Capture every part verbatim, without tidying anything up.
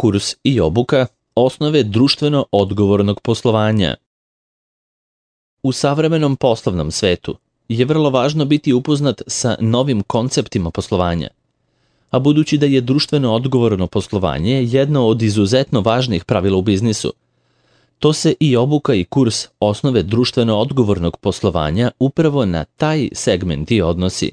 kurs i obuka osnove društveno odgovornog poslovanja. U savremenom poslovnom svetu je vrlo važno biti upoznat sa novim konceptima poslovanja, a budući da je društveno odgovorno poslovanje jedno od izuzetno važnih pravila u biznisu, to se i obuka i kurs osnove društveno odgovornog poslovanja upravo na taj segment i odnosi.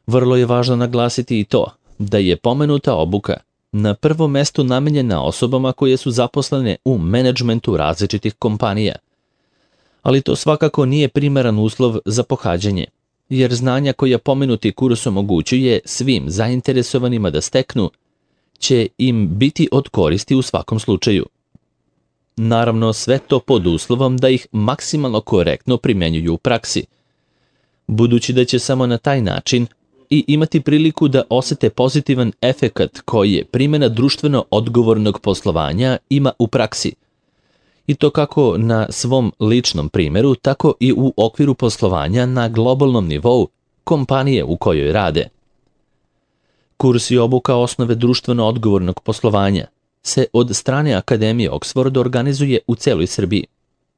Vrlo je važno naglasiti i to da je pomenuta obuka na prvom mestu namenjena osobama koje su zaposlene u menadžmentu različitih kompanija, ali to svakako nije primaran uslov za pohađanje, jer znanja koja pomenuti kurs omogućuje svim zainteresovanima da steknu će im biti od koristi u svakom slučaju. Naravno, sve to pod uslovom da ih maksimalno korektno primenjuju u praksi, budući da će samo na taj način i imati priliku da osete pozitivan efekat koji je primjena društveno odgovornog poslovanja ima u praksi, i to kako na svom ličnom primjeru, tako i u okviru poslovanja na globalnom nivou kompanije u kojoj rade. Kurs i obuka osnove društveno odgovornog poslovanja se od strane Akademije Oxford organizuje u celoj Srbiji,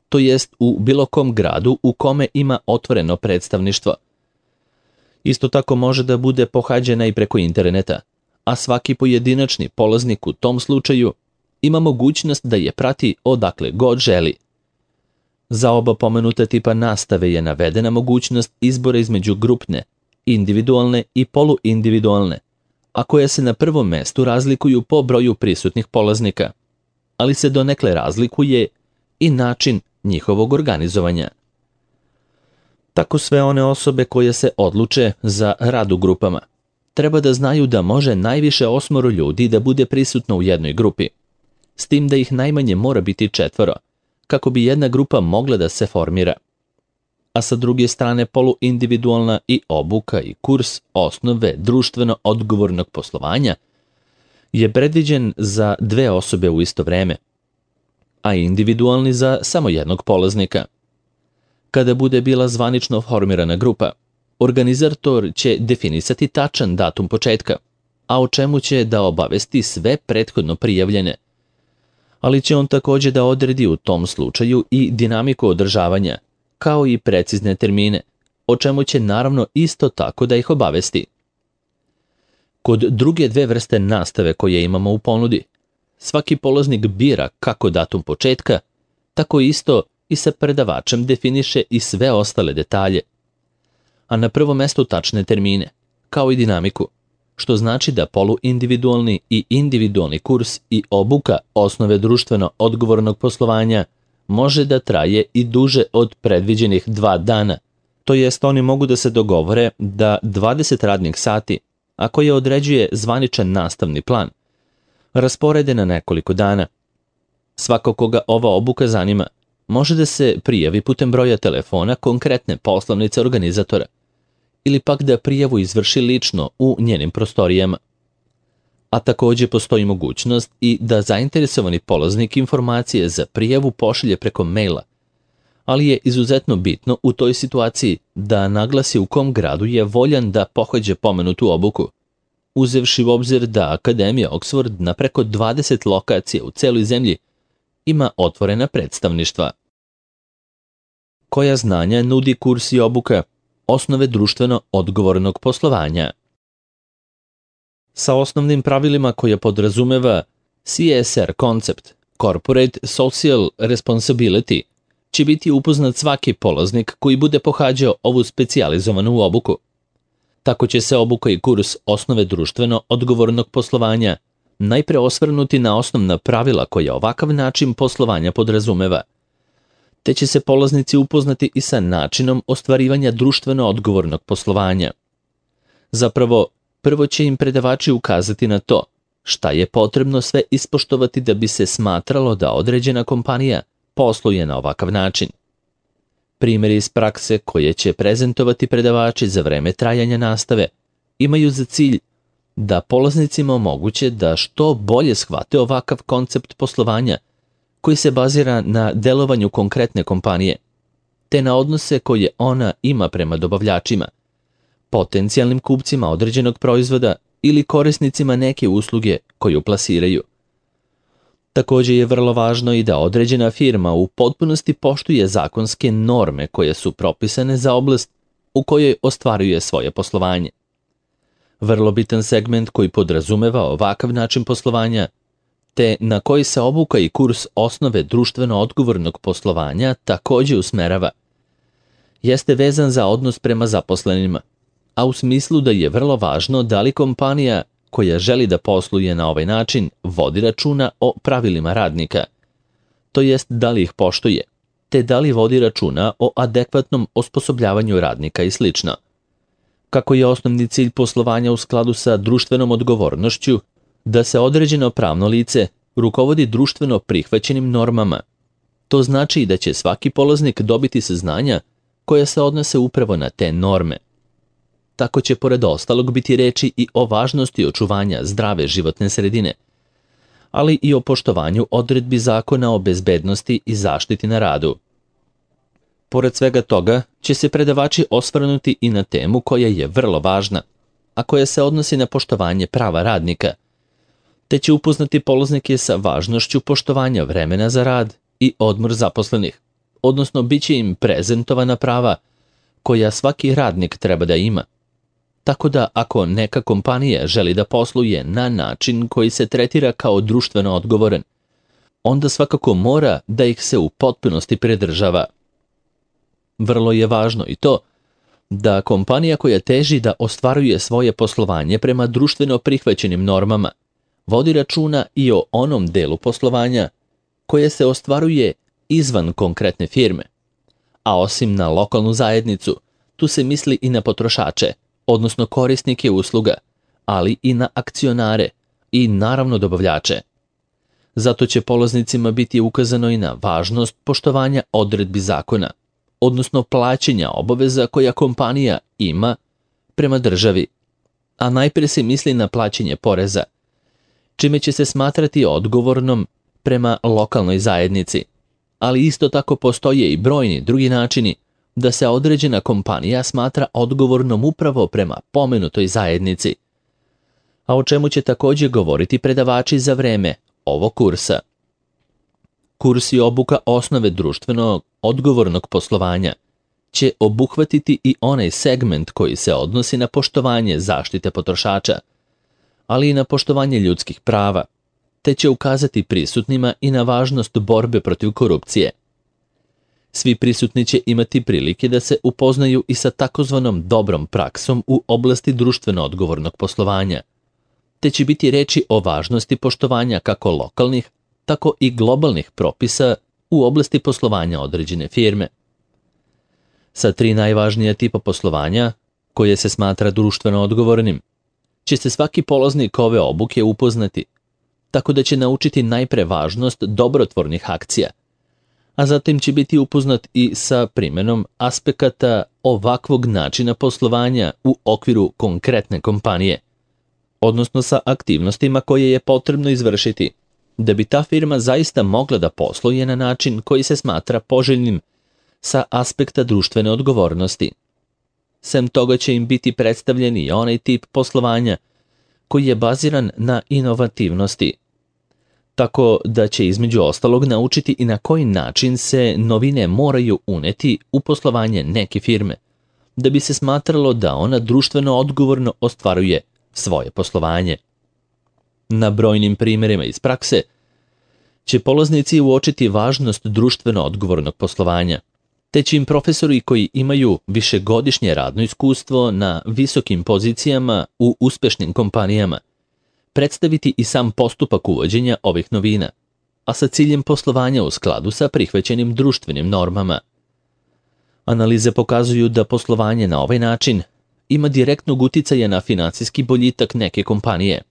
to jest u bilo kom gradu u kome ima otvoreno predstavništvo. Isto tako može da bude pohađena i preko interneta, a svaki pojedinačni polaznik u tom slučaju ima mogućnost da je prati odakle god želi. Za oba pomenuta tipa nastave je navedena mogućnost izbora između grupne, individualne i poluindividualne, a koje se na prvom mestu razlikuju po broju prisutnih polaznika, ali se donekle razlikuje i način njihovog organizovanja. Tako sve one osobe koje se odluče za rad u grupama treba da znaju da može najviše osmoro ljudi da bude prisutno u jednoj grupi, s tim da ih najmanje mora biti četvoro, kako bi jedna grupa mogla da se formira. A sa druge strane poluindividualna i obuka i kurs osnove društveno odgovornog poslovanja je predviđen za dve osobe u isto vreme, a individualni za samo jednog polaznika. Kada bude bila zvanično formirana grupa, organizator će definisati tačan datum početka, a o čemu će da obavesti sve prethodno prijavljene, ali će on također da odredi u tom slučaju i dinamiku održavanja, kao i precizne termine, o čemu će naravno isto tako da ih obavesti. Kod druge dve vrste nastave koje imamo u ponudi, svaki polaznik bira kako datum početka, tako isto i sa predavačem definiše i sve ostale detalje, a na prvo mesto tačne termine, kao i dinamiku, što znači da poluindividualni i individualni kurs i obuka osnove društveno odgovornog poslovanja može da traje i duže od predviđenih dva dana, to jest oni mogu da se dogovore da dvadeset radnih sati, a koje određuje zvaničan nastavni plan, rasporede na nekoliko dana. Svako koga ova obuka zanima može da se prijavi putem broja telefona konkretne poslovnice organizatora ili pak da prijavu izvrši lično u njenim prostorijama. A također postoji mogućnost i da zainteresovani polaznik informacije za prijavu pošalje preko maila, ali je izuzetno bitno u toj situaciji da naglasi u kom gradu je voljan da pohađa pomenutu obuku, uzevši u obzir da Akademija Oxford na preko dvadeset lokacija u celoj zemlji ima otvorena predstavništva. Koja znanja nudi kurs i obuka osnove društveno odgovornog poslovanja? Sa osnovnim pravilima koje podrazumeva C S R koncept, Corporate Social Responsibility, će biti upoznat svaki polaznik koji bude pohađao ovu specijalizovanu obuku. Tako će se obuka i kurs osnove društveno odgovornog poslovanja najpre osvrnuti na osnovna pravila koja ovakav način poslovanja podrazumeva, te će se polaznici upoznati i sa načinom ostvarivanja društveno odgovornog poslovanja. Zapravo, prvo će im predavači ukazati na to šta je potrebno sve ispoštovati da bi se smatralo da određena kompanija posluje na ovakav način. Primjeri iz prakse koje će prezentovati predavači za vreme trajanja nastave imaju za cilj da polaznicima omoguće da što bolje shvate ovakav koncept poslovanja koji se bazira na delovanju konkretne kompanije, te na odnose koje ona ima prema dobavljačima, potencijalnim kupcima određenog proizvoda ili korisnicima neke usluge koju plasiraju, Također je vrlo važno i da određena firma u potpunosti poštuje zakonske norme koje su propisane za oblast u kojoj ostvaruje svoje poslovanje. Vrlo bitan segment koji podrazumeva ovakav način poslovanja, te na koji se obuka i kurs osnove društveno odgovornog poslovanja također usmerava, jeste vezan za odnos prema zaposlenima, a u smislu da je vrlo važno da li kompanija koja želi da posluje na ovaj način vodi računa o pravilima radnika, to jest da li ih poštuje, te da li vodi računa o adekvatnom osposobljavanju radnika i sl. Kako je osnovni cilj poslovanja u skladu sa društvenom odgovornošću da se određeno pravno lice rukovodi društveno prihvaćenim normama. To znači da će svaki polaznik dobiti saznanja koja se odnose upravo na te norme. Tako će pored ostalog biti reči i o važnosti očuvanja zdrave životne sredine, ali i o poštovanju odredbi zakona o bezbednosti i zaštiti na radu. Pored svega toga će se predavači osvrnuti i na temu koja je vrlo važna, a koja se odnosi na poštovanje prava radnika, te će upoznati polaznike sa važnošću poštovanja vremena za rad i odmor zaposlenih, odnosno bit će im prezentovana prava koja svaki radnik treba da ima. Tako da ako neka kompanija želi da posluje na način koji se tretira kao društveno odgovoran, onda svakako mora da ih se u potpunosti pridržava. Vrlo je važno i to da kompanija koja teži da ostvaruje svoje poslovanje prema društveno prihvaćenim normama vodi računa i o onom delu poslovanja koje se ostvaruje izvan konkretne firme, a osim na lokalnu zajednicu, tu se misli i na potrošače, odnosno korisnike usluga, ali i na akcionare i naravno dobavljače. Zato će polaznicima biti ukazano i na važnost poštovanja odredbi zakona, odnosno plaćanja obaveza koja kompanija ima prema državi, a najprije se misli na plaćanje poreza, čime će se smatrati odgovornom prema lokalnoj zajednici, ali isto tako postoje i brojni drugi načini da se određena kompanija smatra odgovornom upravo prema pomenutoj zajednici, a o čemu će također govoriti predavači za vreme ovog kursa. Kurs i obuka osnove društveno odgovornog poslovanja će obuhvatiti i onaj segment koji se odnosi na poštovanje zaštite potrošača, ali i na poštovanje ljudskih prava, te će ukazati prisutnima i na važnost borbe protiv korupcije. Svi prisutni će imati prilike da se upoznaju i sa takozvanom dobrom praksom u oblasti društveno odgovornog poslovanja, te će biti reči o važnosti poštovanja kako lokalnih, tako i globalnih propisa u oblasti poslovanja određene firme. Sa tri najvažnija tipa poslovanja, koje se smatra društveno odgovornim, će se svaki polaznik ove obuke upoznati, tako da će naučiti najpre važnost dobrotvornih akcija, a zatim će biti upoznat i sa primjenom aspekata ovakvog načina poslovanja u okviru konkretne kompanije, odnosno sa aktivnostima koje je potrebno izvršiti da bi ta firma zaista mogla da posluje na način koji se smatra poželjnim sa aspekta društvene odgovornosti. Sem toga će im biti predstavljen i onaj tip poslovanja koji je baziran na inovativnosti, tako da će između ostalog naučiti i na koji način se novine moraju uneti u poslovanje neke firme, da bi se smatralo da ona društveno odgovorno ostvaruje svoje poslovanje. Na brojnim primjerima iz prakse će polaznici uočiti važnost društveno odgovornog poslovanja, te će im profesori koji imaju višegodišnje radno iskustvo na visokim pozicijama u uspešnim kompanijama predstaviti i sam postupak uvođenja ovih novina, a sa ciljem poslovanja u skladu sa prihvaćenim društvenim normama. Analize pokazuju da poslovanje na ovaj način ima direktnog uticaja na finansijski boljitak neke kompanije,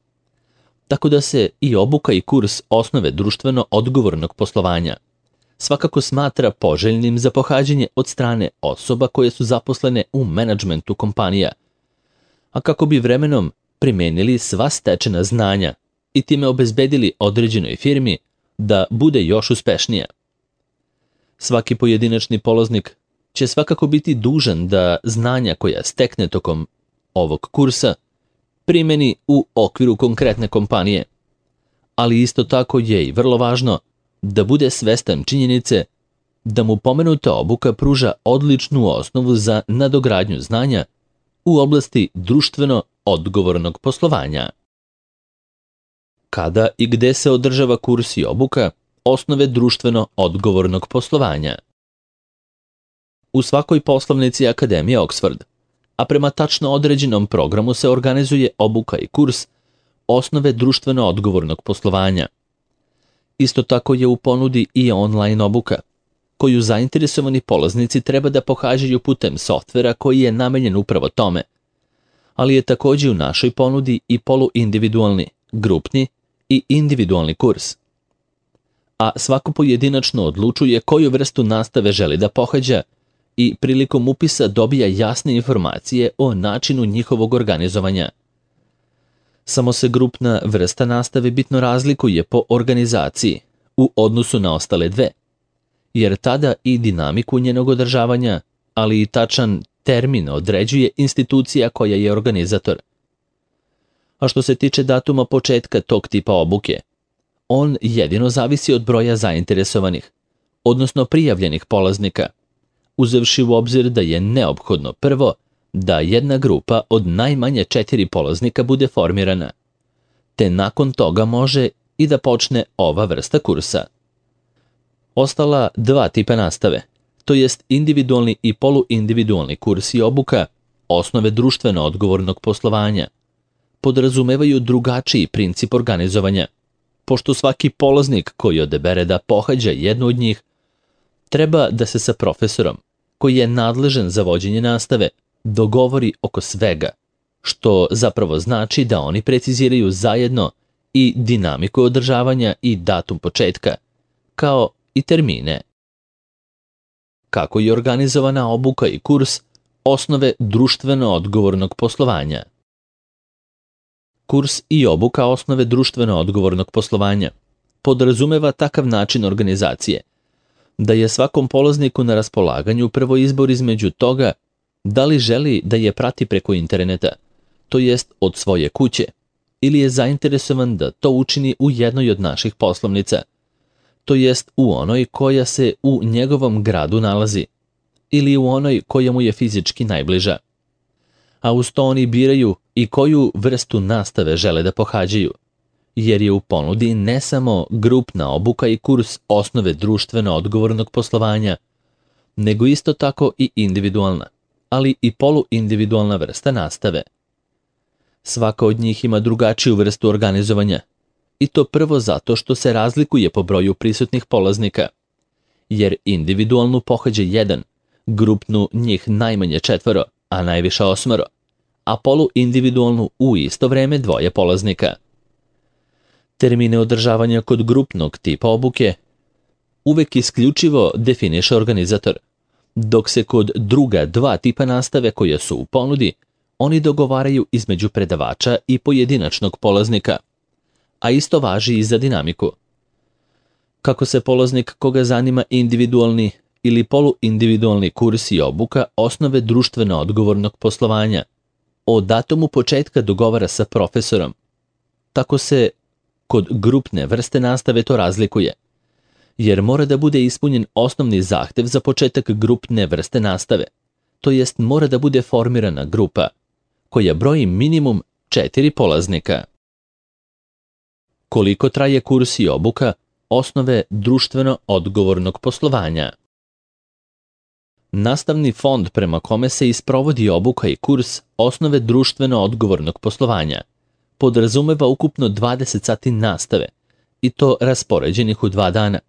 tako da se i obuka i kurs osnove društveno odgovornog poslovanja svakako smatra poželjnim za pohađanje od strane osoba koje su zaposlene u menadžmentu kompanija, a kako bi vremenom primenili sva stečena znanja i time obezbedili određenoj firmi da bude još uspešnija. Svaki pojedinačni polaznik će svakako biti dužan da znanja koja stekne tokom ovog kursa primeni u okviru konkretne kompanije, ali isto tako je i vrlo važno da bude svestan činjenice da mu pomenuta obuka pruža odličnu osnovu za nadogradnju znanja u oblasti društveno odgovornog poslovanja. Kada i gde se održava kurs i obuka osnove društveno odgovornog poslovanja? U svakoj poslovnici Akademije Oxford, a prema tačno određenom programu se organizuje obuka i kurs osnove društveno odgovornog poslovanja. Isto tako je u ponudi i online obuka, koju zainteresovani polaznici treba da pohađaju putem softvera koji je namenjen upravo tome, ali je takođe u našoj ponudi i poluindividualni, grupni i individualni kurs. A svako pojedinačno odlučuje koju vrstu nastave želi da pohađa i prilikom upisa dobija jasne informacije o načinu njihovog organizovanja. Samo se grupna vrsta nastave bitno razlikuje po organizaciji u odnosu na ostale dve, jer tada i dinamiku njenog održavanja, ali i tačan termin određuje institucija koja je organizator. A što se tiče datuma početka tog tipa obuke, on jedino zavisi od broja zainteresovanih, odnosno prijavljenih polaznika, uzevši u obzir da je neophodno prvo da jedna grupa od najmanje četiri polaznika bude formirana, te nakon toga može i da počne ova vrsta kursa. Ostala dva tipa nastave, to jest individualni i poluindividualni kurs i obuka, osnove društveno odgovornog poslovanja, podrazumevaju drugačiji princip organizovanja, pošto svaki polaznik koji odebere da pohađa jednu od njih, treba da se sa profesorom, koji je nadležan za vođenje nastave, dogovori oko svega, što zapravo znači da oni preciziraju zajedno i dinamiku održavanja i datum početka, kao i termine. Kako je organizovana obuka i kurs osnove društveno odgovornog poslovanja? Kurs i obuka osnove društveno odgovornog poslovanja podrazumeva takav način organizacije da je svakom polazniku na raspolaganju prvo izbor između toga da li želi da je prati preko interneta, to jest od svoje kuće, ili je zainteresovan da to učini u jednoj od naših poslovnica, to jest u onoj koja se u njegovom gradu nalazi, ili u onoj koja mu je fizički najbliža. A uz to oni biraju i koju vrstu nastave žele da pohađaju, jer je u ponudi ne samo grupna obuka i kurs osnove društveno odgovornog poslovanja, nego isto tako i individualna, ali i poluindividualna vrsta nastave. Svaka od njih ima drugačiju vrstu organizovanja, i to prvo zato što se razlikuje po broju prisutnih polaznika, jer individualnu pohađa jedan, grupnu njih najmanje četvoro, a najviše osmoro, a poluindividualnu u isto vreme dvoje polaznika. Termine održavanja kod grupnog tipa obuke uvek isključivo definiše organizator, dok se kod druga dva tipa nastave koje su u ponudi, oni dogovaraju između predavača i pojedinačnog polaznika, a isto važi i za dinamiku. Kako se polaznik koga zanima individualni ili poluindividualni kurs i obuka osnove društveno odgovornog poslovanja o datumu početka dogovara sa profesorom, tako se kod grupne vrste nastave to razlikuje, jer mora da bude ispunjen osnovni zahtev za početak grupne vrste nastave, to jest mora da bude formirana grupa, koja broji minimum četiri polaznika. Koliko traje kurs i obuka osnove društveno odgovornog poslovanja? Nastavni fond prema kome se isprovodi obuka i kurs osnove društveno odgovornog poslovanja podrazumeva ukupno dvadeset sati nastave, i to raspoređenih u dva dana.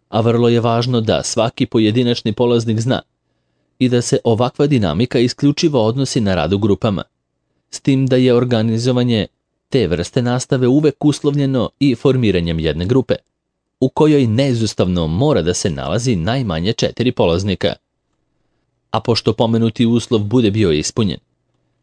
A vrlo je važno da svaki pojedinačni polaznik zna i da se ovakva dinamika isključivo odnosi na rad u grupama, s tim da je organizovanje te vrste nastave uvek uslovljeno i formiranjem jedne grupe, u kojoj neizostavno mora da se nalazi najmanje četiri polaznika. A pošto pomenuti uslov bude bio ispunjen,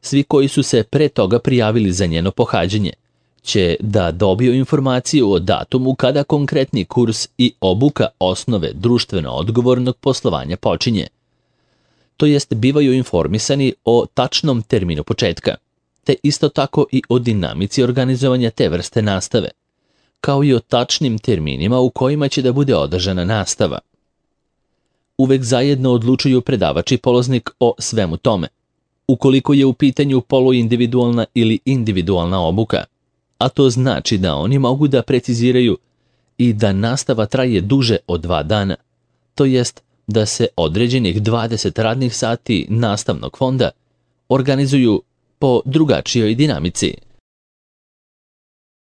svi koji su se pre toga prijavili za njeno pohađanje će da dobiju informaciju o datumu kada konkretni kurs i obuka osnove društveno odgovornog poslovanja počinje. To jest bivaju informisani o tačnom terminu početka, te isto tako i o dinamici organizovanja te vrste nastave, kao i o tačnim terminima u kojima će da bude održana nastava. Uvek zajedno odlučuju predavač i polaznik o svemu tome, ukoliko je u pitanju poluindividualna ili individualna obuka, a to znači da oni mogu da preciziraju i da nastava traje duže od dva dana, to jest da se određenih dvadeset radnih sati nastavnog fonda organizuju po drugačijoj dinamici.